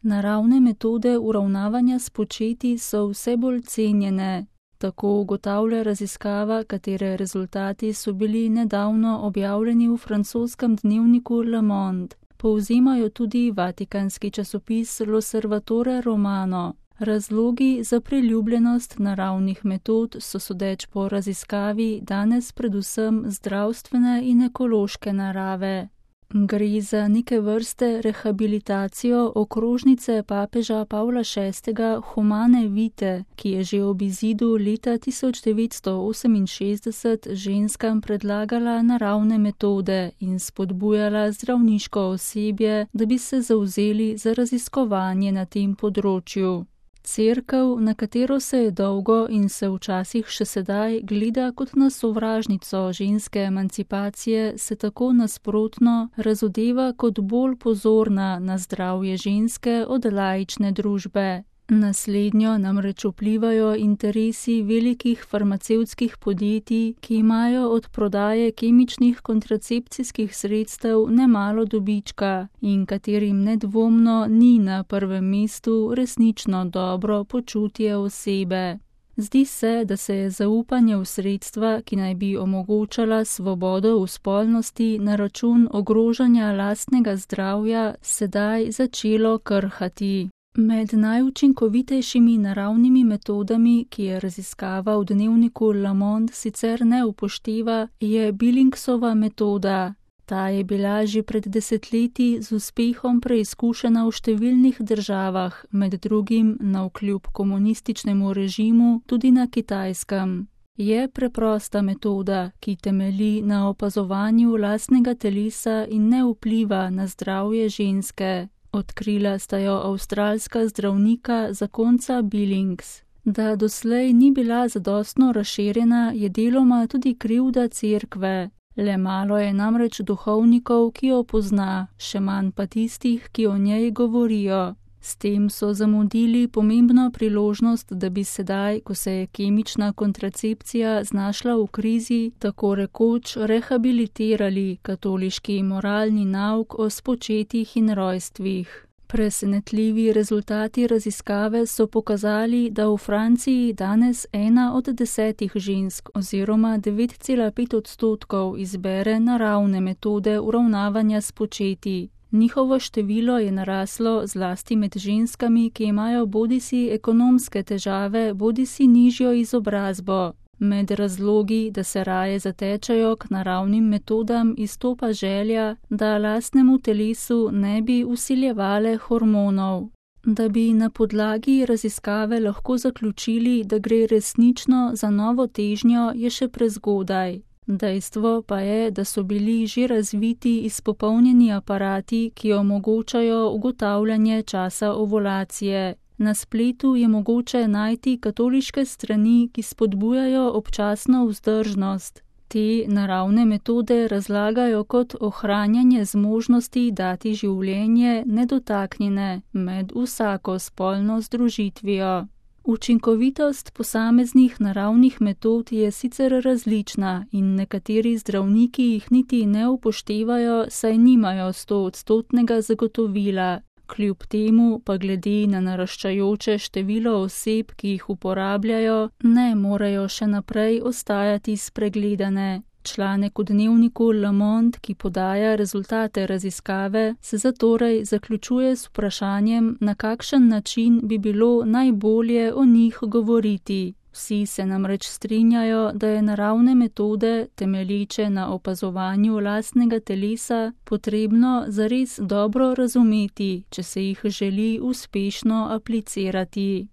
Naravne metode uravnavanja s početji so vse bolj cenjene. Tako ugotavlja raziskava, katere rezultati so bili nedavno objavljeni v francoskem dnevniku Le Monde. Povzemajo tudi vatikanski časopis L'Osservatore Romano. Razlogi za priljubljenost naravnih metod so sodeč po raziskavi danes predvsem zdravstvene in ekološke narave. Gre za neke vrste rehabilitacijo okrožnice papeža Pavla VI. Humane Vitae, ki je že ob izidu leta 1968 ženskam predlagala naravne metode in spodbujala zdravniško osebje, da bi se zavzeli za raziskovanje na tem področju. Cerkev, na katero se je dolgo in se včasih še sedaj gleda kot na sovražnico ženske emancipacije, se tako nasprotno razodeva kot bolj pozorna na zdravje ženske od laične družbe. Naslednjo namreč vplivajo interesi velikih farmacevtskih podjetij, ki imajo od prodaje kemičnih kontracepcijskih sredstev nemalo dobička in katerim nedvomno ni na prvem mestu resnično dobro počutje osebe. Zdi se, da se je zaupanje v sredstva, ki naj bi omogočala svobodo v spolnosti na račun ogrožanja lastnega zdravja, sedaj začelo krhati. Med najučinkovitejšimi naravnimi metodami, ki je raziskava v dnevniku Le Monde sicer ne upošteva, je Billingsova metoda. Ta je bila že pred desetletji z uspehom preizkušena v številnih državah, med drugim navkljub komunističnemu režimu tudi na Kitajskem. Je preprosta metoda, ki temelji na opazovanju lastnega telesa in ne vpliva na zdravje ženske. Odkrila sta jo avstralska zdravnika zakonca Billings. Da doslej ni bila zadostno razširjena, je deloma tudi krivda cerkve. Le malo je namreč duhovnikov, ki jo pozna, še manj pa tistih, ki o njej govorijo. S tem so zamudili pomembno priložnost, da bi sedaj, ko se je kemična kontracepcija znašla v krizi, tako rekoč rehabilitirali katoliški moralni nauk o spočetjih in rojstvih. Presenetljivi rezultati raziskave so pokazali, da v Franciji danes 1 od 10 žensk oziroma 9,5% izbere naravne metode uravnavanja s početji. Njihovo število je naraslo zlasti med ženskami, ki imajo bodisi ekonomske težave, bodisi nižjo izobrazbo. Med razlogi, da se raje zatečajo k naravnim metodam, izstopa želja, da lastnemu telesu ne bi vsiljevale hormonov. Da bi na podlagi raziskave lahko zaključili, da gre resnično za novo težnjo, je še prezgodaj. Dejstvo pa je, da so bili že razviti izpopolnjeni aparati, ki omogočajo ugotavljanje časa ovulacije. Na spletu je mogoče najti katoliške strani, ki spodbujajo občasno vzdržnost. Te naravne metode razlagajo kot ohranjanje zmožnosti dati življenje nedotaknjene med vsako spolno združitvijo. Učinkovitost posameznih naravnih metod je sicer različna in nekateri zdravniki jih niti ne upoštevajo, saj nimajo 100% zagotovila. Kljub temu pa glede na naraščajoče število oseb, ki jih uporabljajo, ne morejo še naprej ostajati spregledane. Članek v dnevniku Le Monde, ki podaja rezultate raziskave, se zatorej zaključuje s vprašanjem, na kakšen način bi bilo najbolje o njih govoriti. Vsi se namreč strinjajo, da je naravne metode, temelječe na opazovanju lastnega telesa, potrebno zares dobro razumeti, če se jih želi uspešno aplicirati.